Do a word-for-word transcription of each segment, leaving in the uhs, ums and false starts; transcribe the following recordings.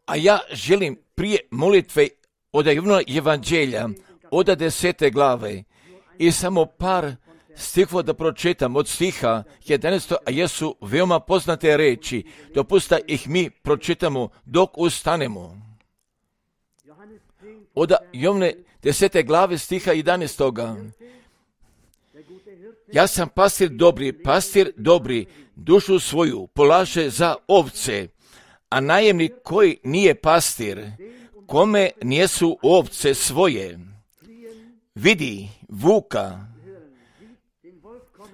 A ja želim prije molitve od Evanđelja, od desete glave, i samo par stihova da pročitam od stiha jedanaestog, a jesu veoma poznate reči. Dopusta ih mi pročitamo dok ustanemo. Od Jovne desete glave stiha jedanaestoga. Ja sam pastir dobri, pastir dobri, dušu svoju polaže za ovce, a najemnik koji nije pastir, kome nijesu ovce svoje, vidi vuka,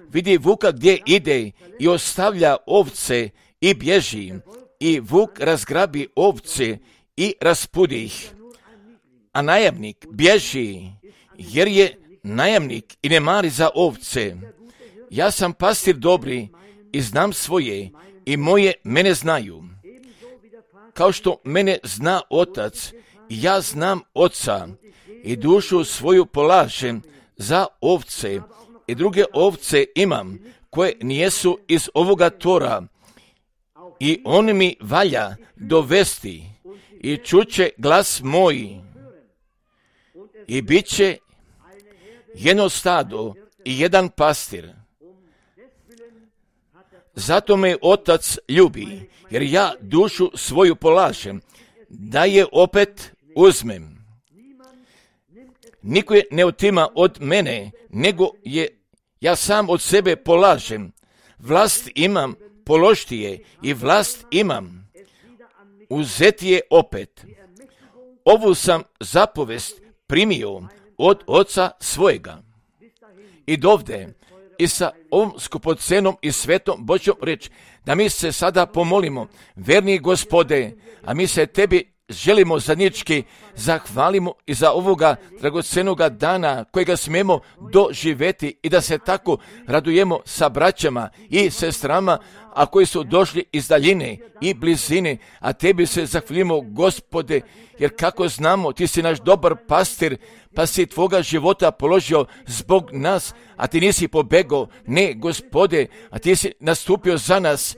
vidi vuka gdje ide i ostavlja ovce i bježi, i vuk razgrabi ovce i raspudi ih. A najamnik bježi, jer je najamnik i ne mari za ovce. Ja sam pastir dobri i znam svoje, i moje mene znaju. Kao što mene zna otac, ja znam oca, i dušu svoju polažem za ovce, i druge ovce imam, koje nijesu iz ovoga tora, i on mi valja dovesti, i čuće glas moj, i bit će jedno stado i jedan pastir. Zato me otac ljubi, jer ja dušu svoju polažem, da je opet uzmem. Niko je ne otima od mene, nego je ja sam od sebe polažem. Vlast imam položiti je, i vlast imam uzeti je opet. Ovu sam zapovest primio od oca svojega. I dovde, i sa ovom skupocenom i svetom Božjom reč, da mi se sada pomolimo, verni Gospode, a mi se tebi želimo zajednički zahvalimo i za ovoga dragocenoga dana kojega smijemo doživjeti, i da se tako radujemo sa braćama i sestrama, a koji su došli iz daljine i blizine, a tebi se zahvalimo, Gospode, jer kako znamo, ti si naš dobar pastir, pa si tvoga života položio zbog nas, a ti nisi pobegao, ne, Gospode, a ti si nastupio za nas,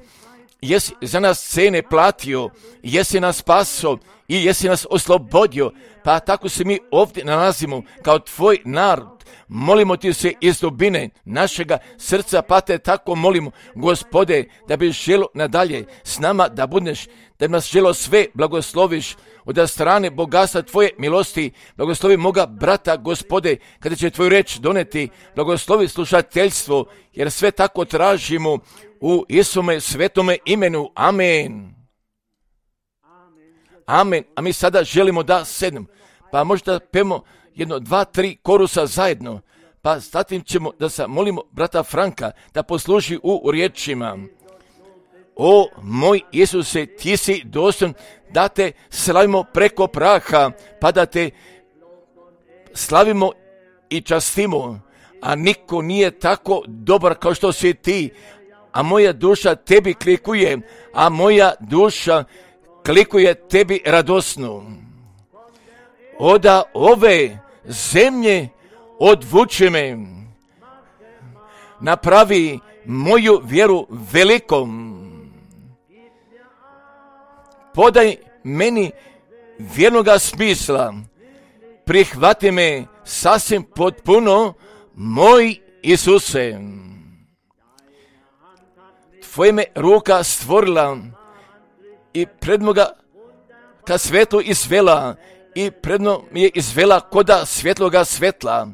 jesi za nas cene platio, jesi nas spasio i jesi nas oslobodio, pa tako se mi ovdje nalazimo kao tvoj narod. Molimo ti se iz dubine našega srca, pa te tako molimo, Gospode, da bi želo nadalje s nama da budeš, da nas želo sve blagosloviš od strane bogatstva tvoje milosti. Blagoslovi moga brata, Gospode, kada će tvoju reč doneti, blagoslovi slušateljstvo, jer sve tako tražimo u Isume svetome imenu. Amen. Amen. A mi sada želimo da sednemo, pa možda pemo jedno, dva, tri korusa zajedno, pa zatim ćemo da se molimo brata Franka da posluži u riječima. O moj Isuse, ti si dostojan da te slavimo preko praha, pa da te slavimo i častimo, a niko nije tako dobar kao što si ti, a moja duša tebi klikuje, a moja duša klikuje tebi radosno. Oda ove zemlje odvuči me, napravi moju vjeru velikom, podaj meni vjernoga smisla, prihvati me sasvim potpuno, moj Isuse. Tvoje me ruka stvorila i predno ga ka svetlu izvela, i predno mi je izvela koda svjetloga svetla.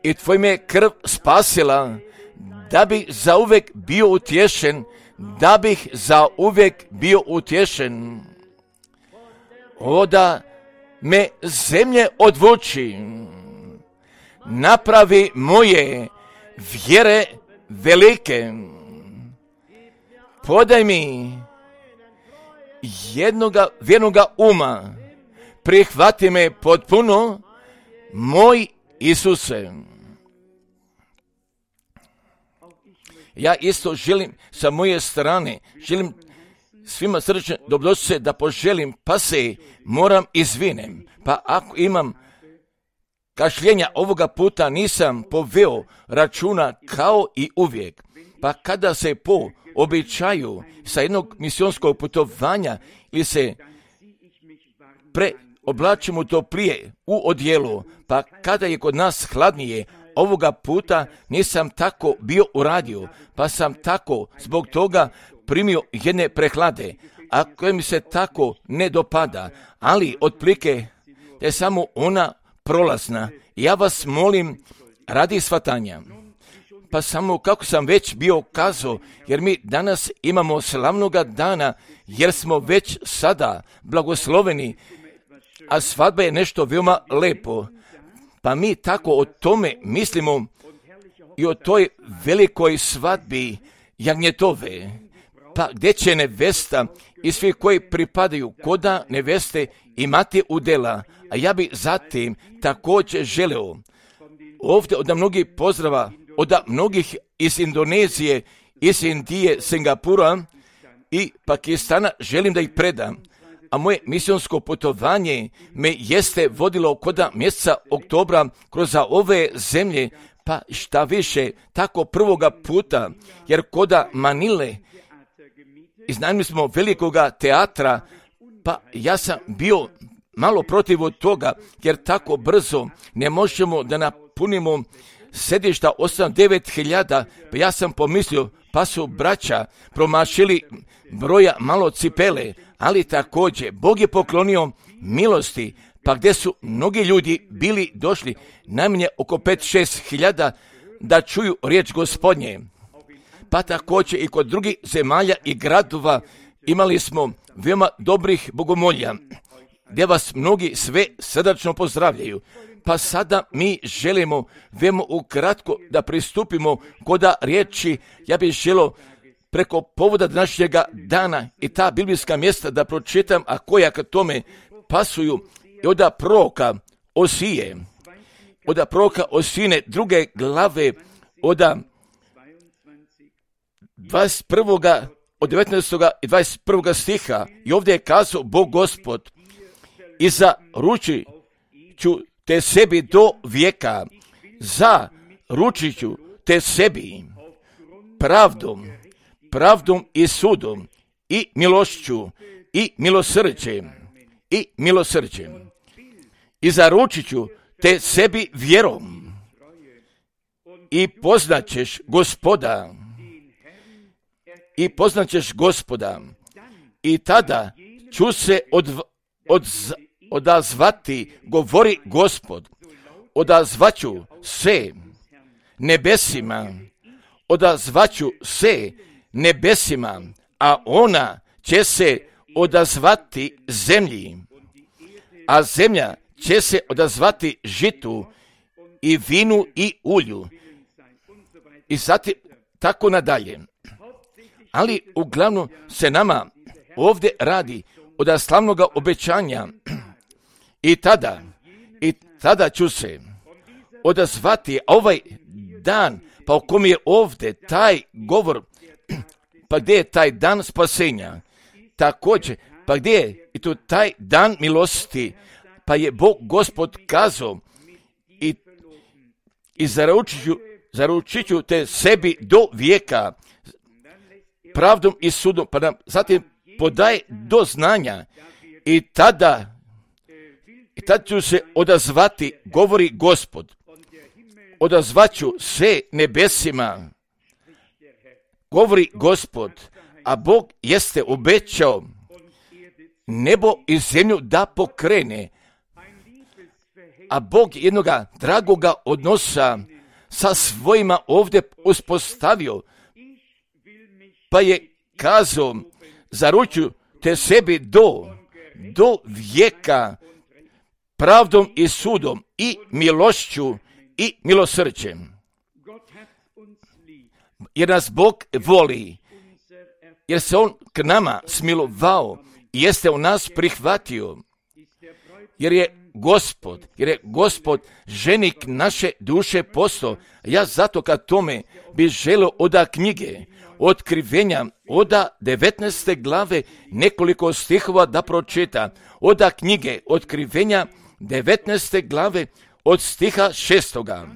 I tvoj me krv spasila, da bih zauvek bio utješen, da bih zauvek bio utješen. Oda me zemlje odvuči, napravi moje vjere velike. Podaj mi jednoga vjernoga uma, prihvati me potpuno, moj Isuse. Ja isto želim sa moje strane, želim svima srčne dobrodošlice da poželim, pa se moram izvinem. Pa ako imam kašljenja ovoga puta, nisam poveo računa kao i uvijek. Pa kada se po običaju sa jednog misionskog putovanja ili se preoblačimo toplije u odjelu, pa kada je kod nas hladnije, ovoga puta nisam tako bio uradio, pa sam tako zbog toga primio jedne prehlade, a koje mi se tako ne dopada, ali otprilike je samo ona prolazna. Ja vas molim radi shvatanja. Pa samo kako sam već bio kazao, jer mi danas imamo slavnoga dana, jer smo već sada blagosloveni, a svadba je nešto veoma lepo. Pa mi tako o tome mislimo i o toj velikoj svadbi jagnjetove. Pa gdje će nevesta i svi koji pripadaju koda neveste imati udjela, a ja bi zatim također želeo ovdje od mnogih pozdrava, od mnogih iz Indonezije, iz Indije, Singapura i Pakistana želim da ih predam. A moje misionsko putovanje me jeste vodilo koda mjeseca oktobra kroz ove zemlje, pa šta više, tako prvoga puta, jer koda Manile iznajmili smo velikoga teatra, pa ja sam bio malo protiv od toga, jer tako brzo ne možemo da napunimo sedišta osam devet hiljada, pa ja sam pomislio, pa su braća promašili broja malo cipele, ali također Bog je poklonio milosti, pa gdje su mnogi ljudi bili došli, najmanje oko pet šest hiljada, da čuju riječ Gospodnje. Pa također i kod drugih zemalja i gradova imali smo veoma dobrih bogomolja, gdje vas mnogi sve srdačno pozdravljaju. Pa sada mi želimo veoma ukratko da pristupimo koda riječi. Ja bih želio preko povoda današnjega dana i ta biblijska mjesta da pročitam, a koja k tome pasuju, i od proroka Osije, od proroka Osine druge glave, od dvadeset prvoga od devetnaestoga i dvadeset prvoga stiha, i ovdje je kazao Bog Gospod: i zaručit ću te sebi do vijeka, zaručit ću te sebi pravdom, pravdom i sudom, i milošću, i milosrđem, i milosrđem. I zaručit ću te sebi vjerom, i poznaćeš Gospoda, i poznaćeš Gospoda, i tada ću se od, od, odazvati, govori Gospod, odazvaću se nebesima, odazvaću se nebesima, a ona će se odazvati zemlji, a zemlja će se odazvati žitu i vinu i ulju, i zatim tako nadalje. Ali uglavnom se nama ovdje radi od slavnoga obećanja, i tada, i tada ću se odazvati ovaj dan, pa o kom je ovdje taj govor, pa gdje je taj dan spasenja, također, pa gdje je i tu taj dan milosti, pa je Bog Gospod kazao, i, i zaručit ću, zaručit ću te sebi do vijeka, pravdom i sudom, pa nam zatim podaje do znanja, i tada, i tada ću se odazvati, govori Gospod, odazvaću se nebesima, govori Gospod, a Bog jeste obećao nebo i zemlju da pokrene, a Bog jednoga dragoga odnosa sa svojima ovdje uspostavio, pa je kazao, zaručuju te sebi do, do vijeka, pravdom i sudom, i milošću, i milosrđem. Jer nas Bog voli, jer se On k nama smilovao i jeste u nas prihvatio, jer je Gospod, jer je Gospod ženik naše duše postao. Ja zato kad tome bi želio oda knjige Otkrivenja, oda devetnaeste glave, nekoliko stihova da pročita. Oda knjige Otkrivenja, devetnaeste glave, od stiha šestoga.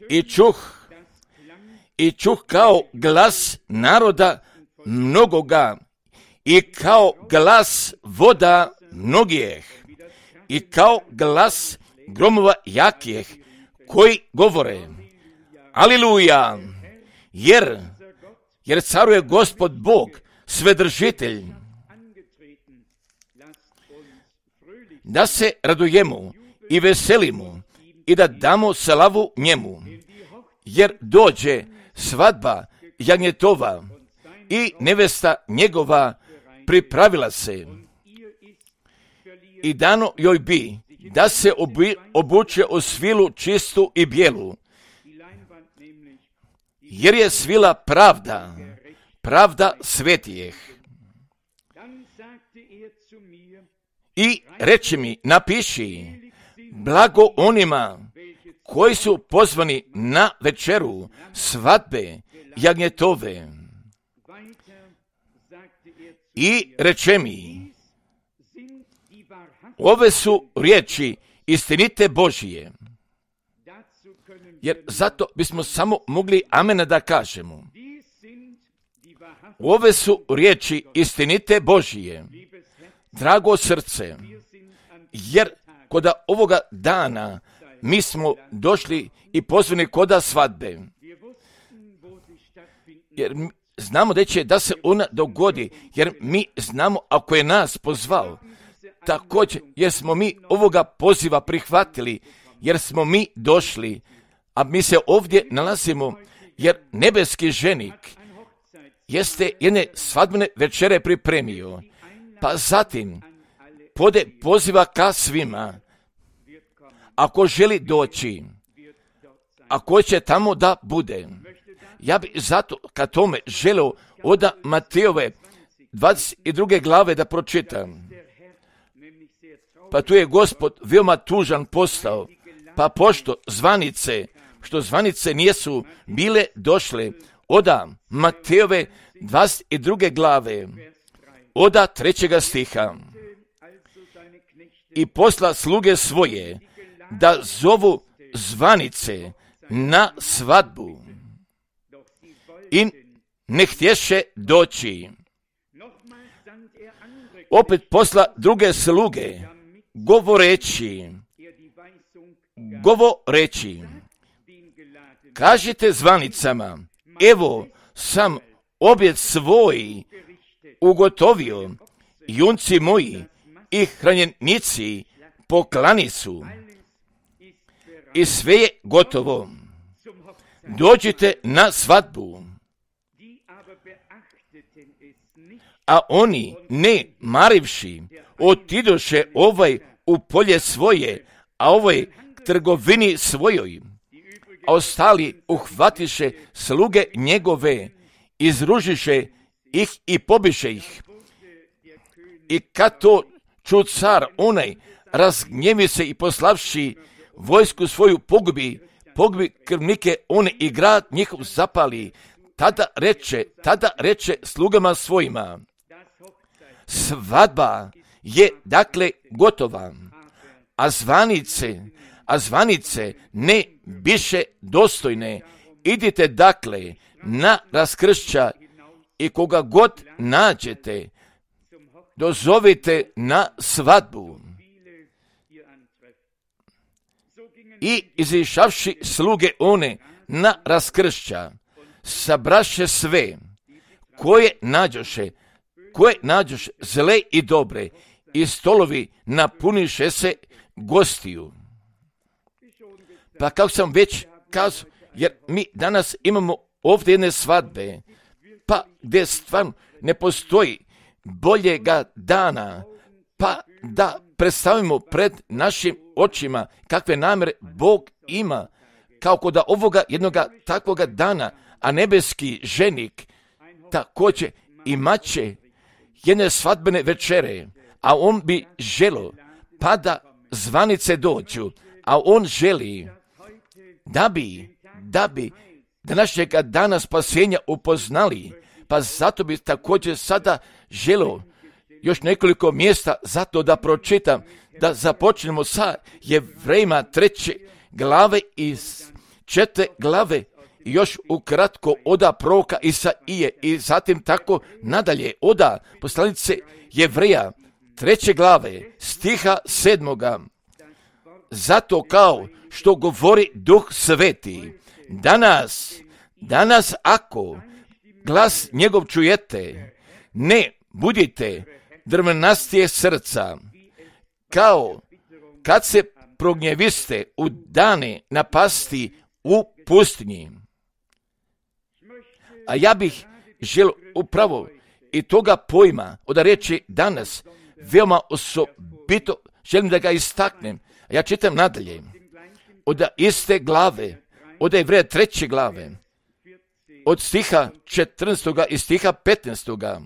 I čuh i čuh kao glas naroda mnogoga i kao glas voda mnogijeh i kao glas gromova jakijeh koji govore Aliluja, jer, jer caruje Gospod Bog, Svedržitelj. Da se radujemo i veselimo i da damo slavu njemu, jer dođe svadba jagnjetova i nevesta njegova pripravila se. I dano joj bi da se obi, obuče u svilu čistu i bijelu, jer je svila pravda, pravda svetijeh. I reče mi, napiši, blago onima koji su pozvani na večeru svadbe jagnjetove. I reče mi, ove su riječi istinite Božije. Jer zato bismo samo mogli amena da kažemo. Ove su riječi istinite Božije. Drago srce, jer koda ovoga dana mi smo došli i pozvani koda svadbe. Jer znamo da će da se ona dogodi, jer mi znamo ako je nas pozvao. Također, jer smo mi ovoga poziva prihvatili, jer smo mi došli, a mi se ovdje nalazimo, jer nebeski ženik jeste jedne svadbene večere pripremio, pa zatim pode poziva ka svima, ako želi doći, ako će tamo da bude. Ja bi zato ka tome želeo od Matejove dvadeset druge glave da pročitam. Pa tu je Gospod veoma tužan postao, pa pošto zvanice, što zvanice nisu bile došle od Matejove dvadeset druge glave, od trećega stiha. I posla sluge svoje da zovu zvanice na svadbu i ne htješe doći. Opet posla druge sluge govoreći, govoreći, kažite zvanicama, evo sam objed svoj ugotovio, junci moji i hranjenici poklani su i sve je gotovo. Dođite na svadbu. A oni, ne marivši, otidoše ovaj u polje svoje, a ovaj k trgovini svojoj. A ostali uhvatiše sluge njegove, izružiše ih i pobiše ih. I kad to ču car onaj, razgnjevi se i poslavši vojsku svoju pogubi, pogubi krvnike one i grad njihov zapali, tada reče, tada reče slugama svojima, svadba je dakle gotova, a zvanice, a zvanice ne biše dostojne. Idite dakle na raskršća i koga god nađete, dozovite na svadbu. I izišavši sluge one na raskršća, sabraše sve, koje nađoše, koje nađoše zle i dobre, i stolovi napuniše se gostiju. Pa kako sam već kazao, jer mi danas imamo ovdje jedne svadbe, pa gdje stvarno ne postoji boljega dana, pa da predstavimo pred našim očima kakve namjere Bog ima, kao kod ovoga jednoga takvoga dana, a nebeski ženik također imat će jedne svadbene večere, a on bi želio pa da zvanice dođu, a on želi da bi, da bi današnjega dana spasenja upoznali, pa zato bi također sada želio još nekoliko mjesta zato da pročitam, da započnemo sa Jevrejima treće glave iz četvrte glave I još ukratko oda proroka Isaije i zatim tako nadalje oda poslanice Jevreja treće glave stiha sedmoga. Zato kao što govori Duh Sveti, danas, danas ako glas njegov čujete, ne budite drvenastije srca, kao kad se prognjeviste u dane napasti u pustinji. A ja bih želio upravo i toga pojma od riječi danas veoma osobito želim da ga istaknem. Ja čitam nadalje od iste glave, od Jevreja treće glave, od stiha četrnaestoga i stiha petnaestoga.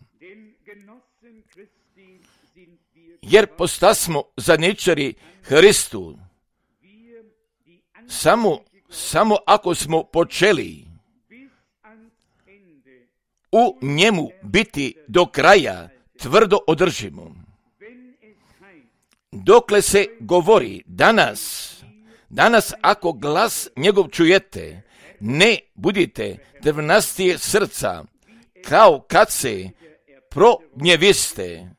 Jer postasmo zadnjičari Hristu, samo, samo ako smo počeli u njemu biti do kraja, tvrdo održimo. Dokle se govori danas, danas ako glas njegov čujete, ne budite drvenastije srca, kao kad se prognjeviste.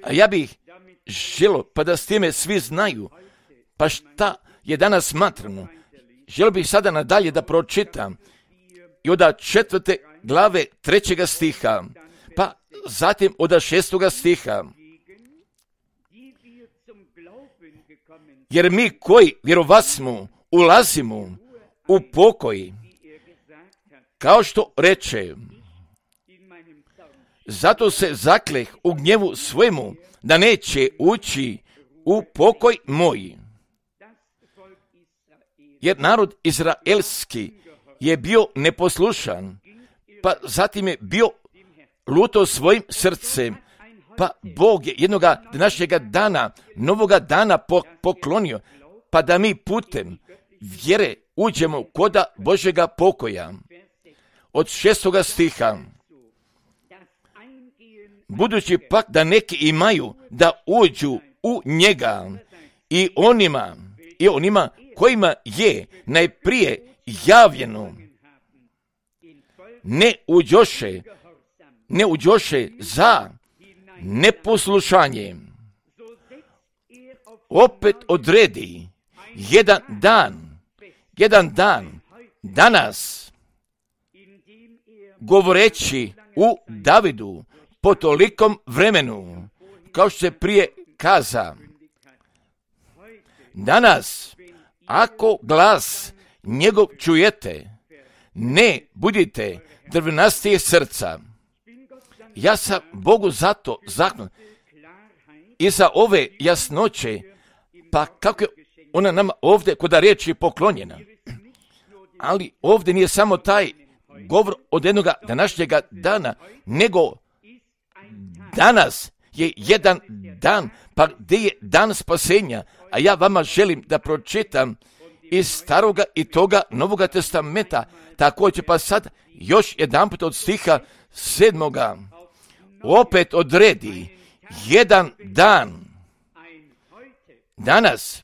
A ja bih želio, pa da s time svi znaju, pa šta je danas smatrano. Želio bih sada nadalje da pročitam i od četvrte glave trećega stiha, pa zatim od šestoga stiha. Jer mi koji vjerovasmo ulazimo u pokoj, kao što reče, zato se zakleh u gnjevu svojemu da neće ući u pokoj moj. Jer narod izraelski je bio neposlušan, pa zatim je bio luto svojim srcem, pa Bog je jednoga današnjega dana, novoga dana poklonio, pa da mi putem vjere uđemo koda Božjega pokoja. Od šestoga stiha. Budući pak da neki imaju da uđu u njega i onima, i onima kojima je najprije javljeno, ne uđoše, ne uđoše za neposlušanje. Opet odredi jedan dan, jedan dan, danas, govoreći u Davidu po tolikom vremenu, kao što se prije kaza. Danas, ako glas njegov čujete, ne budite drvenastije srca. Ja sam Bogu zato zahvalan i za ove jasnoće, pa kako je ona nama ovdje kod riječi poklonjena. Ali ovdje nije samo taj govor od jednoga današnjega dana, nego danas je jedan dan, pa gdje je dan spasenja, a ja vama želim da pročitam iz staroga i toga Novoga testamenta, također pa sad još jedan put od stiha sedmoga, opet odredi jedan dan, danas,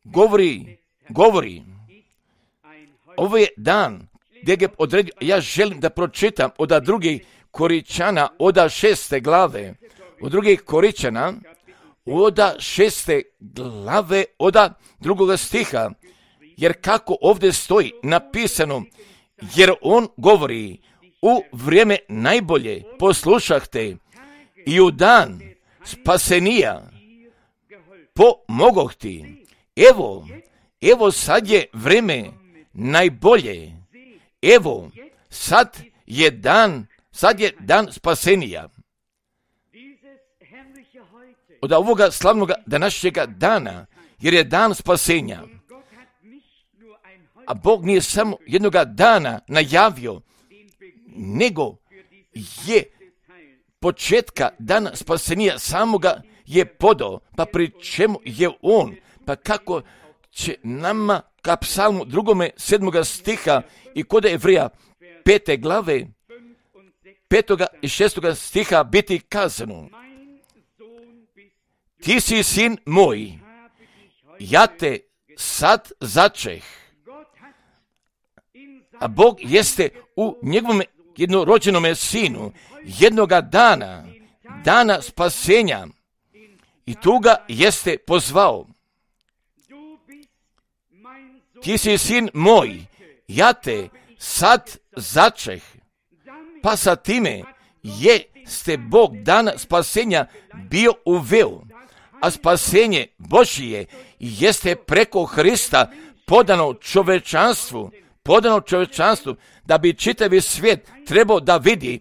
govori, govori, ovo je dan gdje ga odredio, ja želim da pročitam od drugih Koričana, od šeste glave, od drugih Koričana, od šeste glave, od drugoga stiha, jer kako ovdje stoji napisano, jer on govori, u vrijeme najbolje poslušahte i u dan spasenija pomogoh ti. Evo, evo sad je vrijeme najbolje. Evo, sad je dan, sad je dan spasenija. Od ovoga slavnoga današnjega dana, jer je dan spasenja. A Bog nije samo jednoga dana najavio, nego je početka dana spasenija samoga je podao, pa pri čemu je on, pa kako će nama ka psalmu drugome sedmoga stiha i kod Jevreja pete glave, petoga i šestoga stiha biti kazano. Ti si sin moj, ja te sad začeh. A Bog jeste u njegovom jednorođenome sinu jednoga dana, dana spasenja, i tu ga jeste pozvao. Ti si sin moj, ja te sad začeh. Pa sa time jeste Bog dana spasenja bio uveo, a spasenje Božije jeste preko Hrista podano čovečanstvu, podano čovečanstvu, da bi čitavi svijet trebao da vidi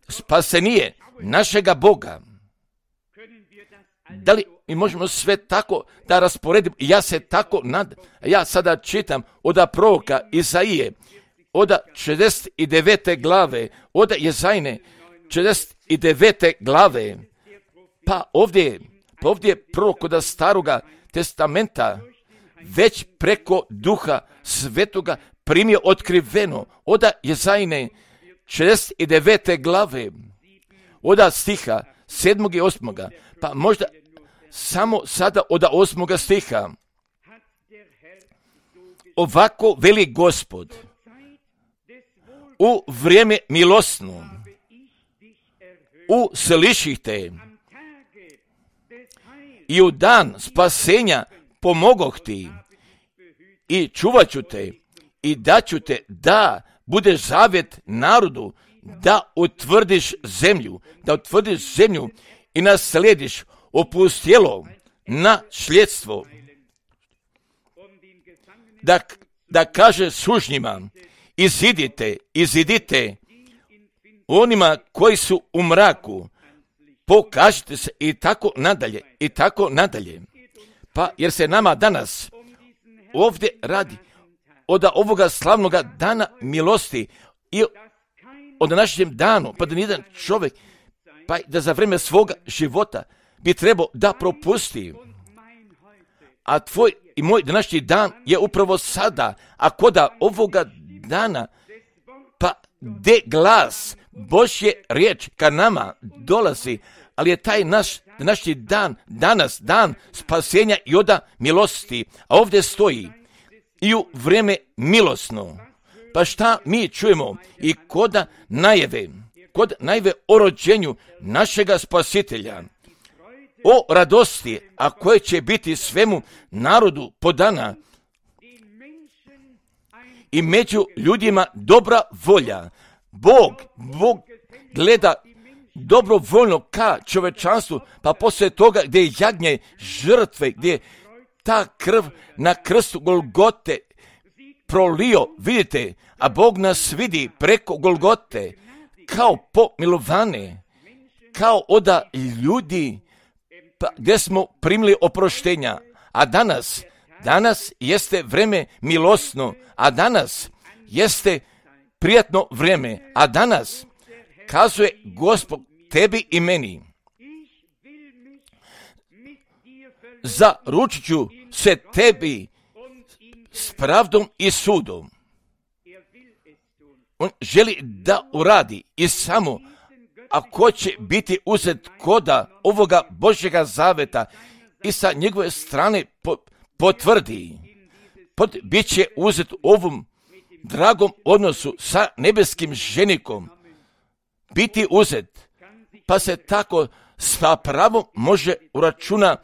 spasenije našega Boga. Da li mi možemo sve tako da rasporedimo? Ja se tako nadam. Ja sada čitam od proroka Izaije, od šezdeset devete glave, od Jezajne šezdeset devete glave. Pa ovdje, pa ovdje je prorok od staroga testamenta već preko Duha Svetoga primio otkriveno od Jezajne šezdeset devete glave, od stiha sedmog i osmoga, pa možda samo sada od osmoga stiha. Ovako veli Gospod, u vrijeme milosno usliših te i u dan spasenja pomogoh ti i čuvat ću te i daću te da budeš zavjet narodu, da utvrdiš zemlju, da utvrdiš zemlju i naslediš opustjelo na šljedstvo. Da, da kaže sužnjima, izidite, izidite, onima koji su u mraku, pokažite se, i tako nadalje, i tako nadalje. Pa jer se nama danas ovdje radi od ovoga slavnoga dana milosti i od današnjem danu, pa da nijedan čovjek, pa da za vrijeme svoga života bi trebao da propusti. A tvoj i moj današnji dan je upravo sada, a koda ovoga dana, pa de glas Božje riječ ka nama dolazi, ali je taj naš današnji dan, danas dan spasenja i oda milosti, a ovdje stoji i u vrijeme milosno. Pa šta mi čujemo i koda najave, kod najave o rođenju našega spasitelja, o radosti, a koje će biti svemu narodu podana, i među ljudima dobra volja. Bog, Bog gleda dobrovoljno ka čovečanstvu, pa poslije toga gdje je jagnje žrtve, gdje je ta krv na krstu Golgote prolio, vidite, a Bog nas vidi preko Golgote kao pomilovane, kao oda ljudi, pa gdje smo primili oproštenja. A danas, danas jeste vreme milosno, a danas jeste prijatno vrijeme, a danas kazuje Gospod tebi i meni, zaručit ću se tebi s pravdom i sudom. On želi da uradi i samo ako će biti uzet koda ovoga Božjega zaveta i sa njegove strane potvrdi, pot, bit će uzet u ovom dragom odnosu sa nebeskim ženikom, biti uzet, pa se tako sa pravom može uračuna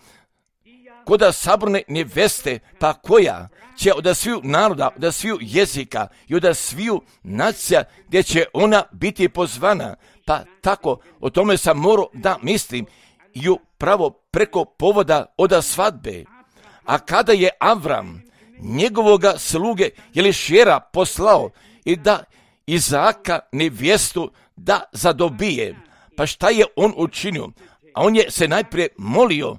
koda saborne neveste, pa koja će od sviju naroda, od sviju jezika i od sviju nacija gdje će ona biti pozvana. Pa tako o tome sam morao da mislim i upravo preko povoda od svadbe. A kada je Avram njegovoga sluge Elišera poslao i da Izaka nevjestu da zadobije, pa šta je on učinio? A on je se najprije molio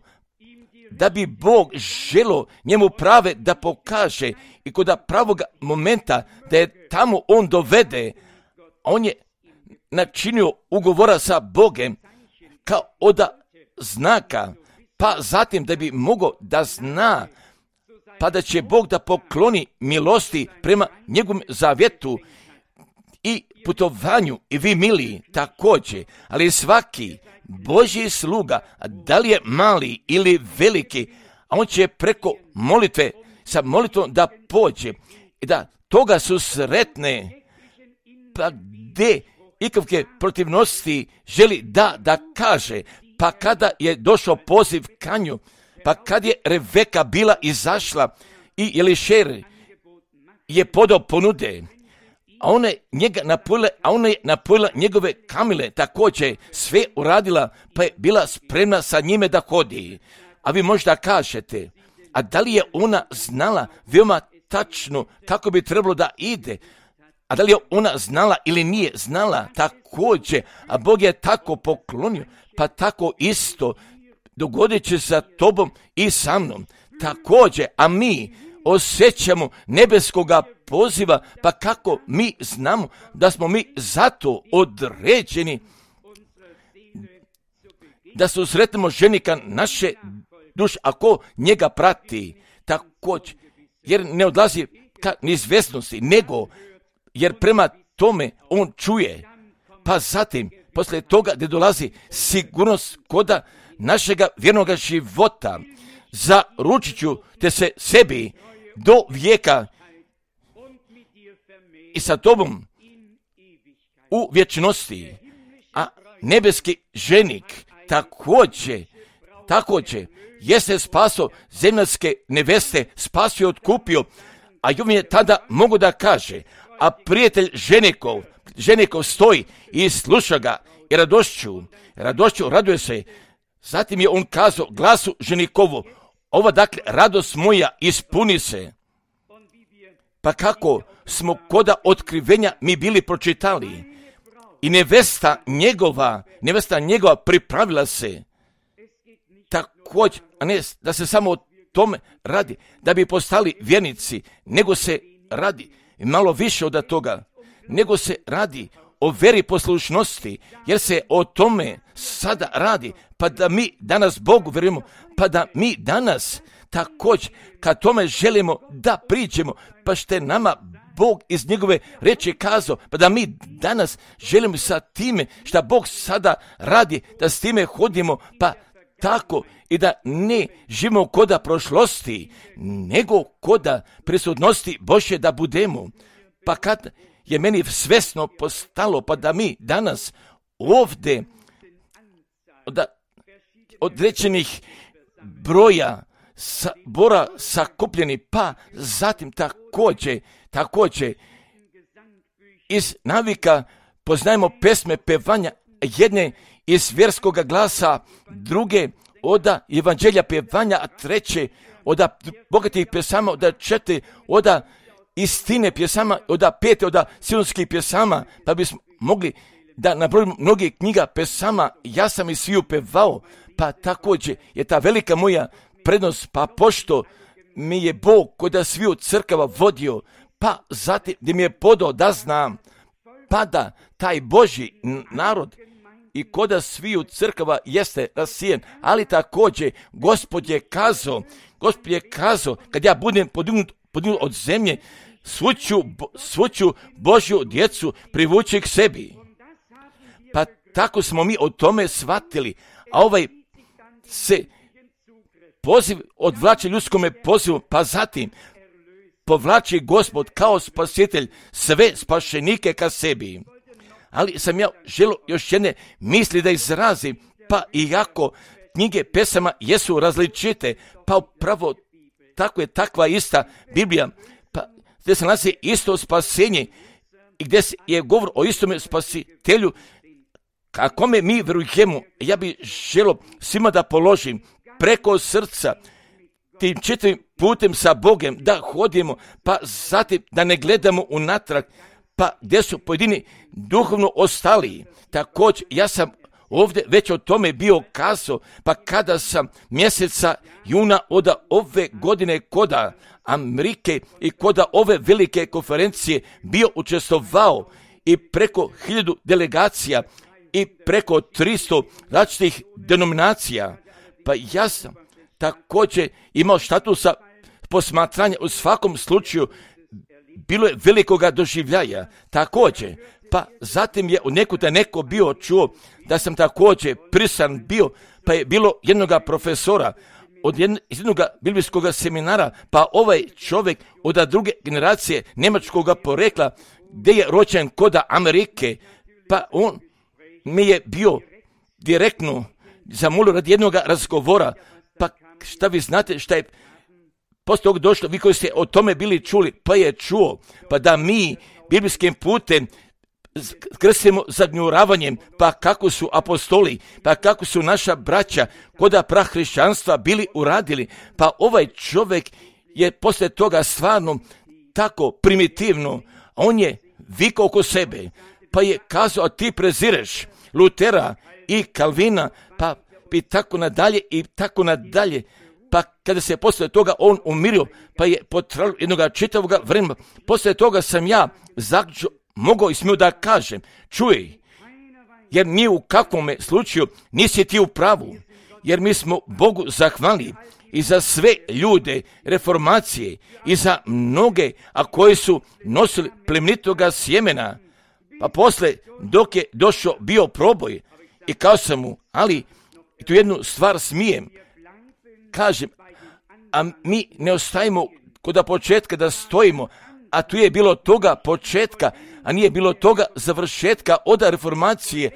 da bi Bog želo njemu prave da pokaže i kod pravog momenta da je tamo on dovede. On je načinio ugovora sa Bogem kao od znaka, pa zatim da bi mogao da zna, pa da će Bog da pokloni milosti prema njegovom zavjetu i putovanju, i vi mili također, ali svaki Božji sluga, da li je mali ili veliki, a on će preko molitve sa molitvom da pođe i da toga su sretne, pa gdje ikakve protivnosti želi da, da kaže, pa kada je došao poziv kanju, pa kad je Reveka bila izašla i Elišer je podao ponude, a ona je njega napojila, a ona je napojila njegove kamile, također sve uradila, pa je bila spremna sa njime da hodi. A vi možda kažete, a da li je ona znala veoma tačno kako bi trebalo da ide? A da li je ona znala ili nije znala? Također, a Bog je tako poklonio, pa tako isto dogodit će sa tobom i sa mnom. Također, a mi osjećamo nebeskoga poziva, pa kako mi znamo da smo mi zato određeni da se usretnemo ženika naše duše, ako njega prati, također, jer ne odlazi ka neizvjesnosti, nego jer prema tome on čuje, pa zatim, poslije toga gdje dolazi sigurnost koda našega vjernoga života, zaručit ću te se sebi do vijeka i sa tobom u vječnosti, a nebeski ženik također, također jeste spaso zemaljske neveste, spasio i otkupio, a on je tada mogu da kaže, a prijatelj ženikov, ženikov stoji i sluša ga i radošću, radošću raduje se. Zatim je on kazao glasu ženikovu, ova dakle radost moja ispuni se. Pa kako smo koda otkrivenja mi bili pročitali i nevesta njegova, nevesta njegova pripravila se. Također, a ne da se samo o tome radi, da bi postali vjernici, nego se radi malo više od toga, nego se radi o veri poslušnosti, jer se o tome sada radi, pa da mi danas Bogu vjerujemo, pa da mi danas također kad tome želimo da priđemo, pa što je nama Bog iz njegove reči kazao, pa da mi danas želimo sa time što Bog sada radi, da s time hodimo, pa tako i da ne živimo koda prošlosti, nego koda prisutnosti Božje da budemo. Pa kad je meni svesno postalo, pa da mi danas ovdje od određenih broja sabora sakupljeni, pa zatim također, također iz navika poznajemo pesme pevanja, jedne iz vjerskoga glasa, druge od evanđelja pevanja, a treće od bogatih pjesama, od četiri od istine pjesama, od pete od sionskih pjesama, pa bismo mogli da nabrojimo mnogi knjiga pjesama, ja sam i sviju pevao, pa također je ta velika moja prednost, pa pošto mi je Bog koda sviju crkava vodio, pa zatim gdje mi je podao da znam, pa da taj Božji narod i koda sviju crkava jeste rasijen, ali također Gospod je kazao, Gospod je kazao, kad ja budem podignut, podignut od zemlje, svu ću, svu ću Božju djecu privući k sebi. Pa tako smo mi o tome shvatili, a ovaj se poziv odvlači ljudskome pozivu, pa zatim povlači Gospod kao spasitelj sve spašenike ka sebi. Ali sam ja želio još jedne misli da izrazim, pa iako knjige pesama jesu različite, pa upravo tako je takva ista Biblija, pa gdje se nalazi isto spasenje i gdje je govor o istome spasitelju, kako me mi vjerujemo, ja bih želio svima da položim preko srca tim čitavim putem sa Bogem, da hodimo, pa zatim da ne gledamo unatrag, pa gdje su pojedini duhovno ostali. Također, ja sam ovdje već o tome bio kazao, pa kada sam mjeseca juna od ove godine koda Amerike i koda ove velike konferencije bio učestvovao i preko hiljadu delegacija i preko tristo različitih denominacija, pa ja sam također imao statusa posmatranja u svakom slučaju, bilo je velikoga doživljaja, također, pa zatim je u nekuda neko bio čuo da sam također prisan bio, pa je bilo jednoga profesora, od jednog, jednog biblijskog seminara, pa ovaj čovjek od druge generacije njemačkog porekla, gdje je rođen kod Amerike, pa on mi je bio direktno zamolio radi jednog razgovora, pa šta vi znate šta je poslije toga došlo, vi koji ste o tome bili čuli, pa je čuo, pa da mi biblijskim putem krstimo zagnjuravanjem, pa kako su apostoli, pa kako su naša braća kod prahrišćanstva bili uradili, pa ovaj čovjek je poslije toga stvarno tako primitivno, on je vikao oko sebe, pa je kazao, a ti prezireš Lutera i Kalvina, pa i tako nadalje i tako nadalje. Pa kada se poslije toga on umirio, pa je potrajalo jednog čitavog vremena, poslije toga sam ja zaključio, mogao i smio da kažem, čuj, jer ni u kakvom slučaju nisi ti u pravu, jer mi smo Bogu zahvalni i za sve ljude reformacije i za mnoge, a koji su nosili plemenitoga sjemena, pa posle dok je došao bio proboj i kao sam mu, ali tu jednu stvar smijem, kažem, a mi ne ostajemo kod početka da stojimo, a tu je bilo toga početka, a nije bilo toga završetka od reformacije,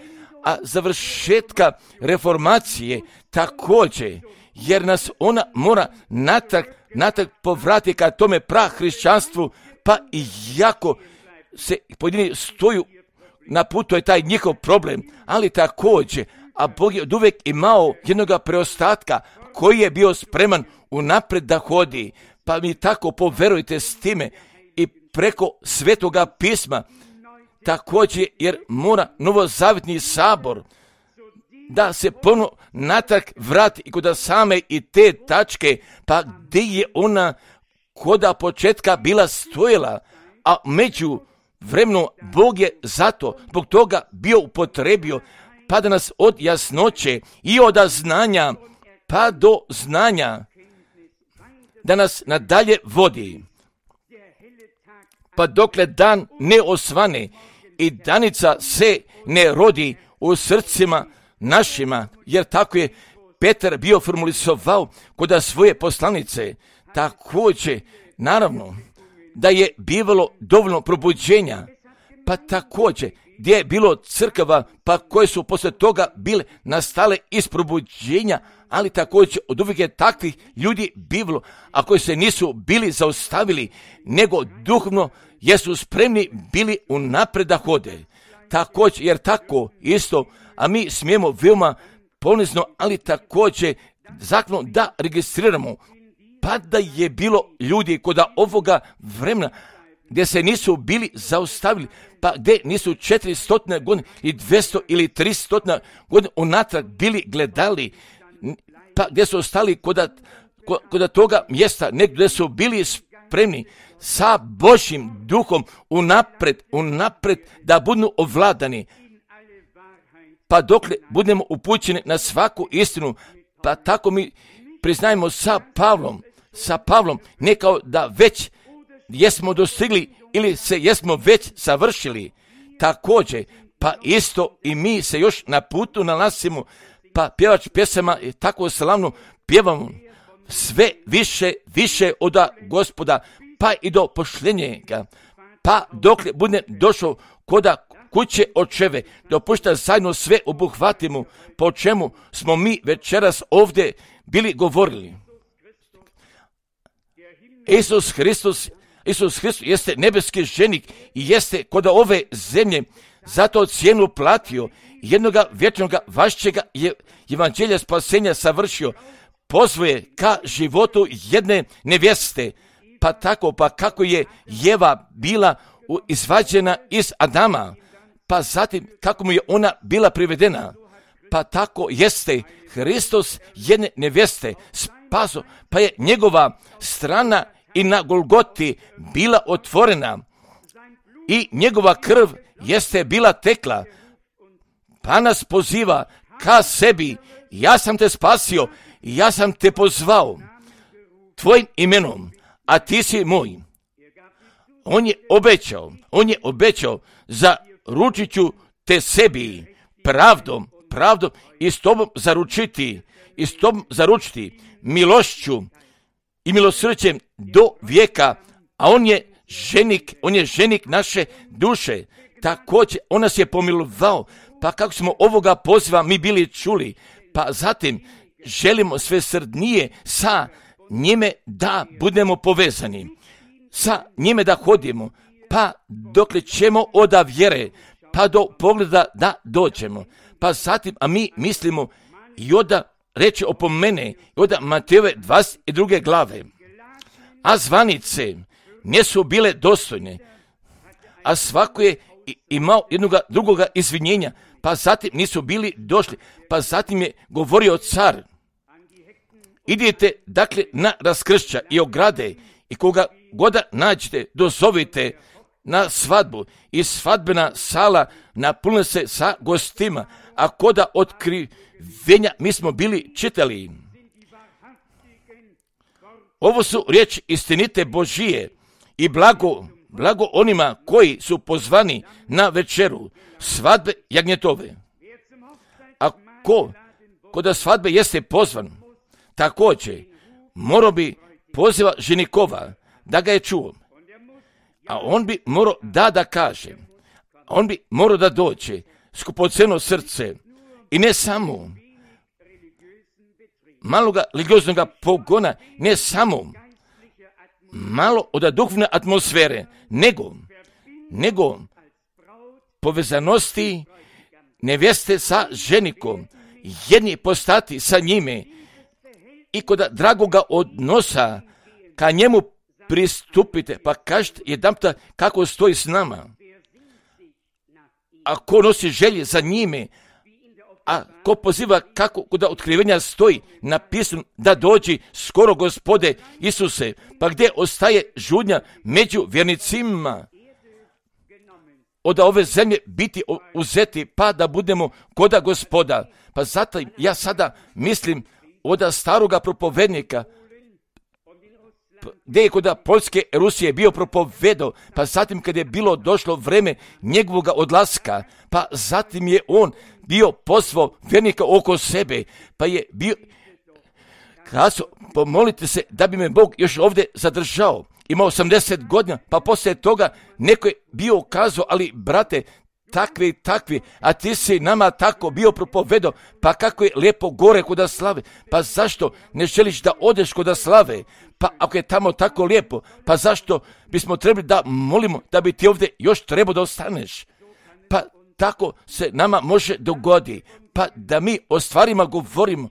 a završetka reformacije također, jer nas ona mora natrag, natrag povrati ka tome prahrišćanstvu, pa i jako se pojedini stoju na putu je taj njihov problem, ali također, a Bog je od uvijek imao jednog preostatka koji je bio spreman unapred da hodi, pa mi tako poverujte s time i preko Svetoga pisma, također jer mora novozavjetni sabor da se ponovno natrag vrati i kod same i te tačke, pa gdje je ona koda početka bila stojila, a među vremenu Bog je zato zbog toga bio upotrebio, pa da nas od jasnoće i od znanja pa do znanja da nas nadalje vodi, pa dokle dan ne osvane i danica se ne rodi u srcima našima, jer tako je Petar bio formulisovao kod svoje poslanice. Također, naravno, da je bivalo dovoljno probuđenja, pa također gdje je bilo crkava, pa koje su poslije toga bile nastale iz probuđenja, ali također od uvijek je takvih ljudi bivalo, a koji se nisu bili zaustavili, nego duhovno jesu spremni bili unapred da hode. Također, jer tako isto, a mi smijemo veoma ponizno, ali također zakonom da registriramo, pa da je bilo ljudi kod ovoga vremena gdje se nisu bili zaustavili, pa gdje nisu četiristo godina i dvjesto ili tristo godina unatrag bili gledali, pa gdje su ostali kod, kod toga mjesta, negdje gdje su bili spremni sa Božjim duhom unapred, unapred da budu ovladani, pa dokle budemo upućeni na svaku istinu, pa tako mi priznajemo sa Pavlom, sa Pavlom, ne kao da već jesmo dostigli ili se jesmo već savršili, također, pa isto i mi se još na putu nalazimo, pa pjevač pjesama je tako slavno pjevamo sve više, više od Gospoda, pa i do pošljenjega, pa dokle bude došao koda kuće očeve, dopušta zajedno sve obuhvatimo, po čemu smo mi večeras ovdje bili govorili. Isus Hristos, Isus Hristos jeste nebeski ženik i jeste kod ove zemlje zato cijenu platio, jednoga vječnoga vašćega je evanđelja spasenja savršio, pozvoje ka životu jedne nevjeste, pa tako, pa kako je Jeva bila izvađena iz Adama, pa zatim kako mu je ona bila privedena, pa tako jeste Hristos jedne nevjeste spaso, pa je njegova strana i na Golgoti bila otvorena i njegova krv jeste bila tekla, pa nas poziva ka sebi, ja sam te spasio, ja sam te pozvao tvojim imenom, a ti si moj. On je obećao, on je obećao zaručit ću te sebi pravdom, pravdom i s tobom zaručiti i s tom zaručiti milošću i milosrđem do vijeka, a on je ženik, on je ženik naše duše. Također, on nas je pomilovao, pa kako smo ovoga poziva mi bili čuli, pa zatim želimo sve srdnije sa njime da budemo povezani, sa njime da hodimo, pa dokle ćemo od vjere, pa do pogleda da dođemo. Pa zatim, a mi mislimo i oda reče opomene, i oda Matejove dvadeset druge glave, a zvanice nisu bile dostojne, a svako je imao jednoga drugoga izvinjenja, pa zatim nisu bili došli, pa zatim je govorio car, idite dakle na raskršća i ograde i koga goda nađete, dozovite na svadbu i svadbena sala napune se sa gostima, a koda otkrivenja mi smo bili čitali. Ovo su riječi istinite Božije i blago, blago onima koji su pozvani na večeru svadbe jagnjetove. A ko, ko da svadbe jeste pozvan, također morao bi poziva ženikova da ga je čuo, a on bi morao da da kaže, on bi morao da dođe skupoceno srce i ne samo maloga religioznoga pogona, ne samo malo od duhovne atmosfere, nego, nego povezanosti nevjeste sa ženikom, jedni postati sa njime i kod dragoga odnosa ka njemu pristupite, pa kažete jedanputa kako stoji s nama. A ko nosi želje za njime, a ko poziva kako kod otkrivenja stoji napisano da dođi skoro Gospode Isuse, pa gdje ostaje žudnja među vjernicima od ove zemlje biti uzeti, pa da budemo koda Gospoda. Pa zato ja sada mislim od staroga propovednika, gdje je kod Poljske Rusije bio propovedao, pa zatim kad je bilo došlo vreme njegovog odlaska, pa zatim je on bio pozvao vjernika oko sebe, pa je bio kazao, pomolite se da bi me Bog još ovdje zadržao. Ima osamdeset godina, pa poslije toga neko je bio kazao, ali brate, takvi, takvi, a ti si nama tako bio propovedao, pa kako je lijepo gore kuda slave, pa zašto ne želiš da odeš kuda slave, pa ako je tamo tako lijepo, pa zašto bismo trebali da molimo da bi ti ovdje još trebao da ostaneš, pa tako se nama može dogodi, pa da mi o stvarima govorimo,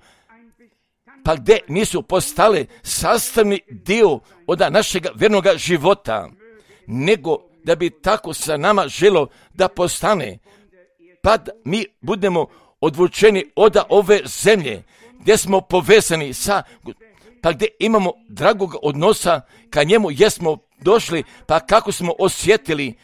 pa gdje nisu postale sastavni dio od našeg vjernog života, nego da bi tako sa nama želo da postane, pa da mi budemo odvučeni od ove zemlje, gdje smo povezani sa, pa gdje imamo dragog odnosa ka njemu, jesmo došli, pa kako smo osjetili,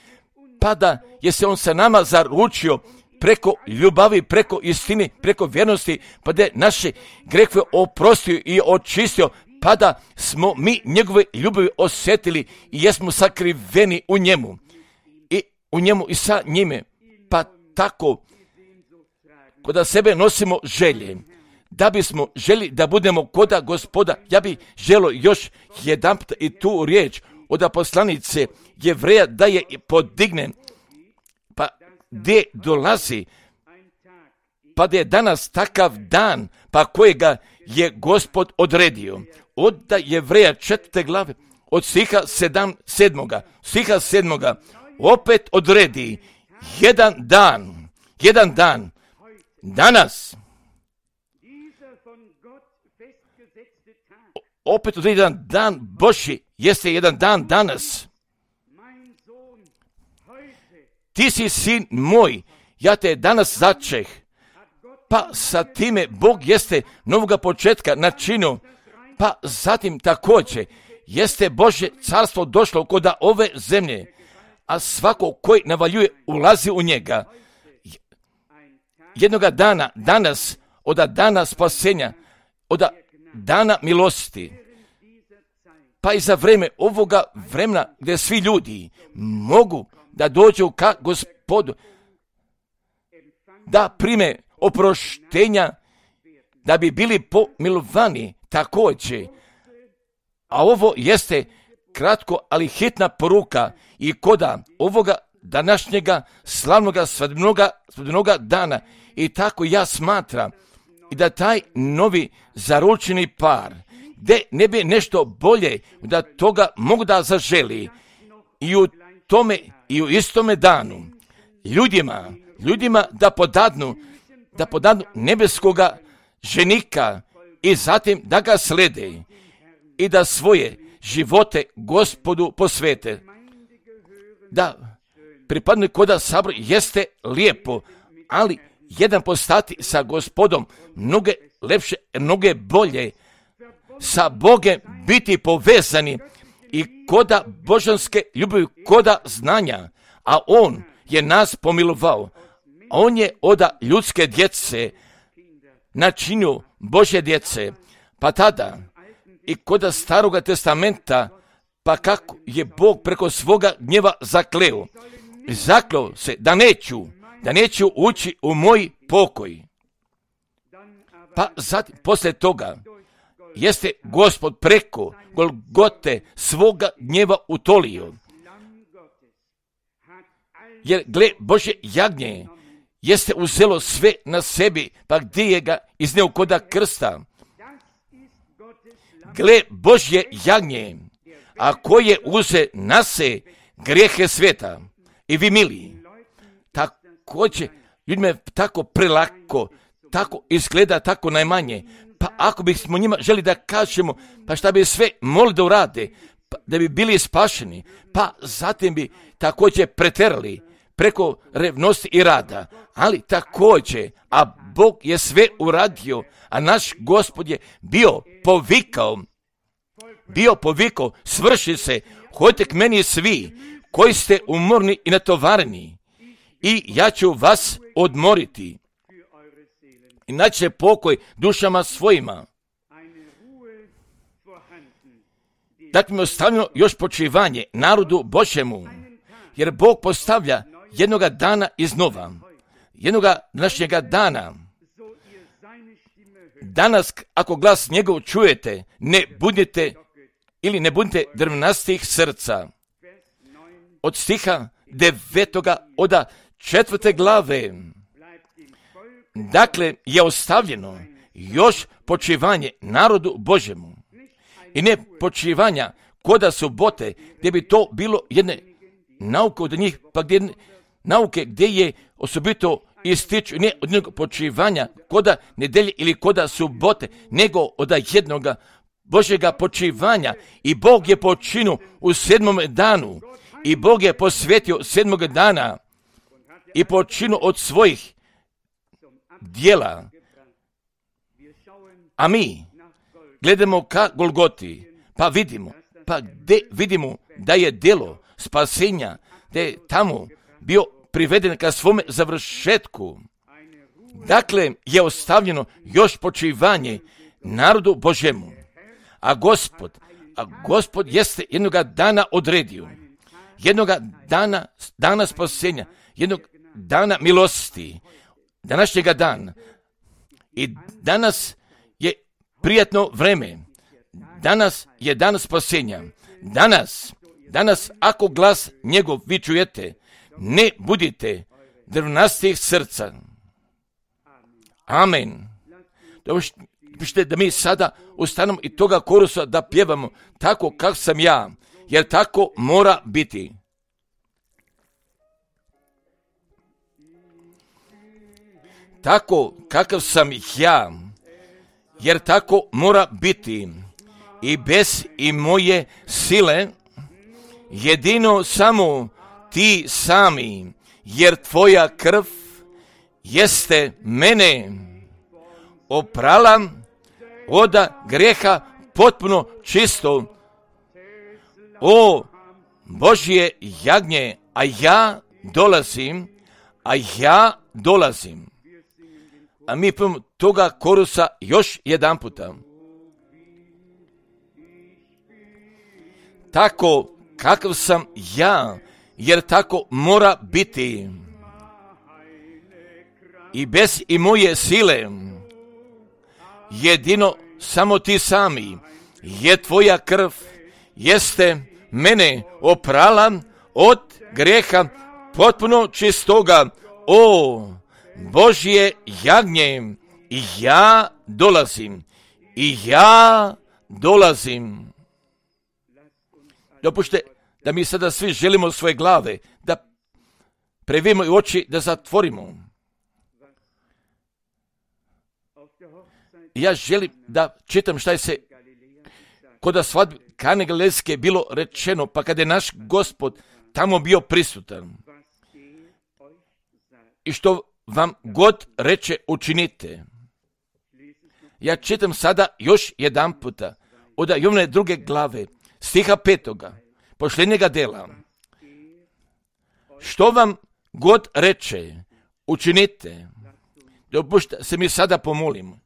pa da je se on sa nama zaručio preko ljubavi, preko istine, preko vjernosti, pa da je naše grehove oprostio i očistio, pa da smo mi njegove ljubavi osjetili i jesmo sakriveni u njemu i u njemu i sa njime, pa tako kod sebe nosimo želje, da bismo želi da budemo koda Gospoda. Ja bih želio još jedan put i tu riječ od poslanice Jevreja da je podigne, pa gdje dolazi, pa da je danas takav dan, pa kojega je Gospod odredio. Od Jevreja četvrte glave, od stiha sedam, sedmoga, stiha sedmoga, opet odredi jedan dan, jedan dan, danas, opet odredi jedan dan Božji, jeste jedan dan danas. Ti si sin moj, ja te danas začeh, pa sa time Bog jeste novoga početka načinio, pa zatim također jeste Božje carstvo došlo kod ove zemlje, a svako koji navaljuje ulazi u njega. Jednoga dana, danas, od dana spasenja, od dana milosti, pa i za vreme ovoga vremena gdje svi ljudi mogu da dođu ka Gospodu, da prime oproštenja da bi bili pomilovani također. A ovo jeste kratko, ali hitna poruka i koda ovoga današnjega slavnoga svadbenoga, svadbenoga dana. I tako ja smatram i da taj novi zaručeni par, gdje ne bi nešto bolje, da toga mogu da zaželi i u tome i u istome danu ljudima, ljudima da podadnu, da podadnu nebeskoga ženika i zatim da ga slede i da svoje živote Gospodu posvete. Da pripadne koda sabor jeste lijepo, ali jedan postati sa Gospodom mnoge lepše, mnoge bolje, sa Bogem biti povezani i koda božanske ljubavi, koda znanja, a On je nas pomilovao. On je oda ljudske djece načinio Božje djece, pa tada i koda Staroga testamenta, pa kako je Bog preko svoga gnjeva zakleo. Zakleo se da neću, da neću ući u moj pokoj. Pa zatim, poslije toga, jeste Gospod preko Golgote svoga gnjeva utolio. Jer, gle, Božje jagnje jeste uzelo sve na sebi, pa gdje je ga izneo koda krsta. Gle, Božje jagnje, a koje uze na se grijehe sveta. I vi, mili, također, ljudima je tako prelako, tako izgleda, tako najmanje. Pa ako bismo njima želi da kažemo, pa šta bi sve molili da urade, pa da bi bili spašeni, pa zatim bi također preterali preko revnosti i rada. Ali također, a Bog je sve uradio, a naš Gospod je bio povikao, bio povikao, svrši se, hodite k meni svi koji ste umorni i natovareni, i ja ću vas odmoriti. I naći pokoj dušama svojima. Dakle, mi ostavljeno još počivanje narodu Božjemu, jer Bog postavlja jednoga dana iznova, jednoga današnjega dana. Danas, ako glas njegov čujete, ne budite ili ne budite drvnastih srca. Od stiha devetoga oda četvrte glave. Dakle, je ostavljeno još počivanje narodu Božjemu. I ne počivanja koda subote, gdje bi to bilo jedne nauke od njih, pa gdje nauke gdje je osobito ističu, ne od jednog počivanja koda nedelje ili koda subote, nego od jednoga Božjega počivanja. I Bog je počinu u sedmom danu. I Bog je posvetio sedmog dana i počinu od svojih djela. A mi gledamo ka Golgoti, pa vidimo, pa gdje vidimo da je djelo spasenja, da je tamo bio priveden ka svome završetku. Dakle, je ostavljeno još počivanje narodu Božjemu. A Gospod, a Gospod jeste jednoga dana odredio, jednoga dana, dana spasenja, jednog dana milosti, današnjega dana. I danas je prijatno vreme, danas je dan spasenja. Danas, danas ako glas njegov vi čujete, ne budite drvnastih srca. Amen. Dopušte da mi sada ustanemo i toga korusa da pjevamo tako kako sam ja, jer tako mora biti. Tako kakav sam ja, jer tako mora biti. I bez i moje sile, jedino samo ti sami, jer tvoja krv jeste mene oprala od grijeha potpuno čisto. O Božje jagnje, a ja dolazim, a ja dolazim. A mi pojmo toga korusa još jedan puta. Tako kakav sam ja, jer tako mora biti. I bez i moje sile, jedino samo ti sami, je tvoja krv, jeste mene oprala od grijeha potpuno čistoga. O Božje jagnje, i ja dolazim, i ja dolazim. Dopušte da mi sada svi želimo svoje glave, da previjemo i oči, da zatvorimo. Ja želim da čitam šta je se kod svadbe Kane Galilejske bilo rečeno, pa kada je naš Gospod tamo bio prisutan. I što vam god reče, učinite. Ja čitam sada još jedan puta od Jovane druge glave, stiha petoga, posljednjega dela. Što vam god reče, učinite. Dopušta se mi sada pomolimo.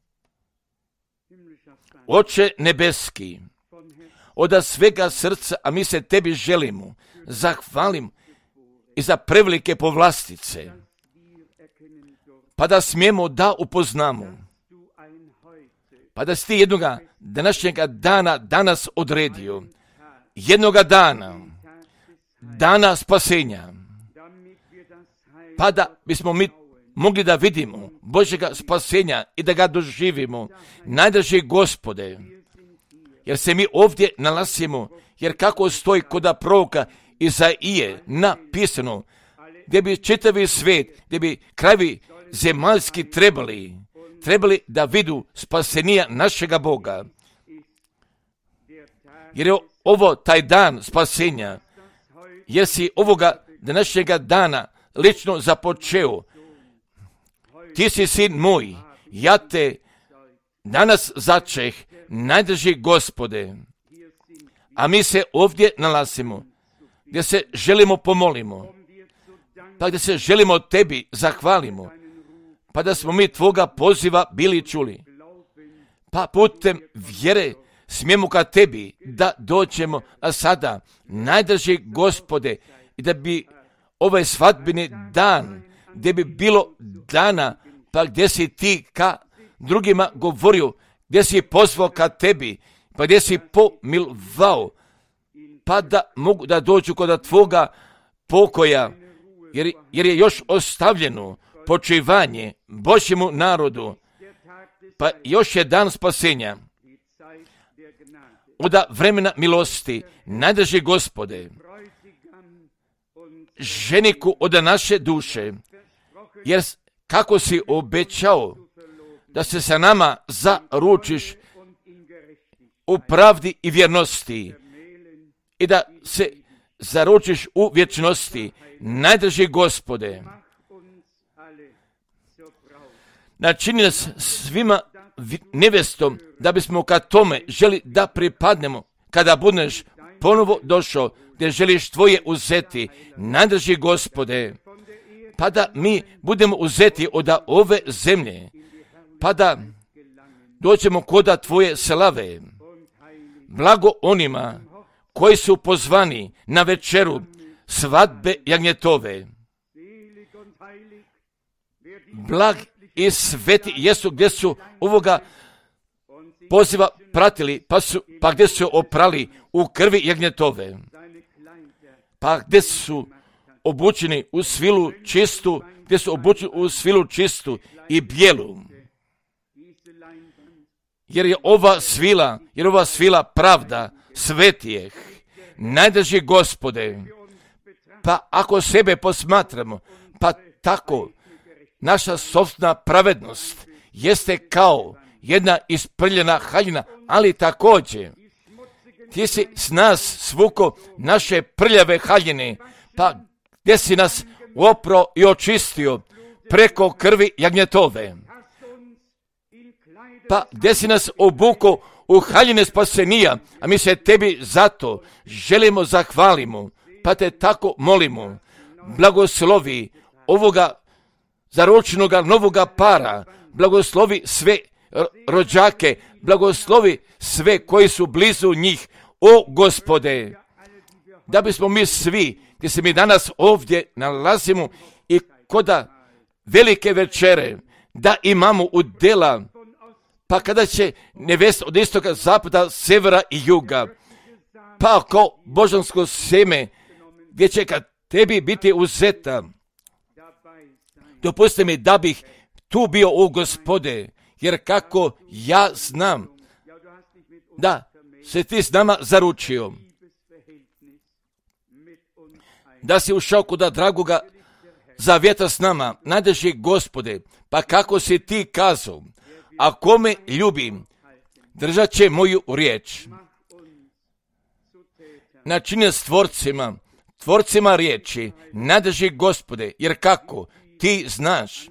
Oče nebeski, od svega srca, a mi se tebi želimo, zahvalim i za prevelike povlastice, pa da smijemo da upoznamo, pa da si ti jednoga današnjega dana danas odredio, jednoga dana, dana spasenja, pa da bismo mi mogli da vidimo Božjega spasenja i da ga doživimo. Najdraži Gospode, jer se mi ovdje nalazimo, jer kako stoji kod proroka Izaije napisano, gdje bi čitavi svijet, gdje bi krajevi zemaljski trebali, trebali da vidu spasenija našega Boga. Jer je ovo taj dan spasenja, jer si ovoga današnjega dana lično započeo. Ti si sin moj, ja te danas začeh, najdraži Gospode. A mi se ovdje nalazimo, gdje se želimo pomolimo, pa gdje se želimo tebi zahvalimo, pa da smo mi tvoga poziva bili čuli. Pa putem vjere smijemo ka tebi da dođemo, a sada, najdraži Gospode, i da bi ovaj svadbeni dan, gdje bi bilo dana, pa gdje si ti ka drugima govorio, gdje si pozvao ka tebi, pa gdje si pomilovao, pa da mogu da dođu kod tvoga pokoja, jer, jer je još ostavljeno počivanje Božjemu narodu, pa još je dan spasenja. Od vremena milosti, najdraži Gospode, ženiku od naše duše, jer kako si obećao da se sa nama zaručiš u pravdi i vjernosti i da se zaručiš u vječnosti, najdraži Gospode, načini nas svima nevestom da bismo ka tome želi da pripadnemo kada budeš ponovo došao gdje želiš tvoje uzeti, najdraži Gospode, pa da mi budemo uzeti od ove zemlje, pa da dođemo koda tvoje slave. Blago onima koji su pozvani na večeru svadbe jagnjetove. Blag i sveti jesu gdje su ovoga poziva pratili, pa, su, pa gdje su oprali u krvi jagnjetove, pa gdje su obučeni u svilu čistu, gdje su obučeni u svilu čistu i bijelu. Jer je ova svila, jer ova svila pravda svetijeh, najdraži Gospode, pa ako sebe posmatramo, pa tako naša sopstvena pravednost jeste kao jedna isprljena haljina, ali također ti si s nas svuko naše prljave haljine, pa gdje si nas opro i očistio preko krvi jagnjetove, pa gdje si nas obuko u haljine spasenija, a mi se tebi zato želimo zahvalimo, pa te tako molimo, blagoslovi ovoga zaručenoga novoga para, blagoslovi sve rođake, blagoslovi sve koji su blizu njih, o Gospode, da bismo mi svi, gdje se mi danas ovdje nalazimo i koda velike večere, da imamo udjela Pa kada će nevesta od istoka, zapada, severa i juga, pa ako božansko sjeme, gdje će kad tebi biti uzeta, dopusti mi da bih tu bio u Gospode, jer kako ja znam da se ti s nama zaručio, da si ušao kuda dragoga zavjeta s nama, nadeži Gospode, pa kako si ti kazao, ako me ljubim, držat će moju riječ. Načinio s tvorcima, tvorcima riječi, nadeži Gospode, jer kako ti znaš,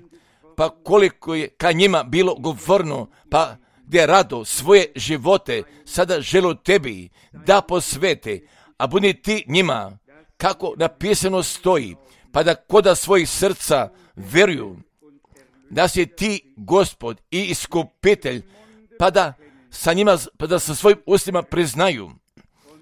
pa koliko je ka njima bilo govorno, pa gdje rado svoje živote sada želu tebi da posvete, a budi ti njima, kako napisano stoji, pa da koda svojih srca vjeruju, da si ti Gospod i iskupitelj, pa da sa njima, pa da sa svojim ustima priznaju,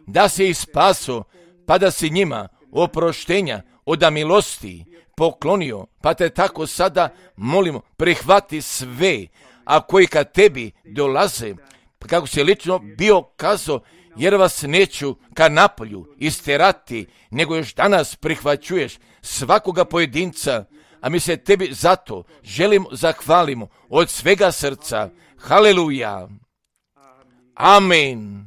da si ih spaso, pa da si njima oproštenja od milosti poklonio, pa te tako sada molimo, prihvati sve, a koji ka tebi dolaze, pa kako si lično bio kazao, jer vas neću ka napolju isterati, nego još danas prihvaćuješ svakoga pojedinca, a mi se tebi zato želimo zahvalimo od svega srca. Haleluja. Amen.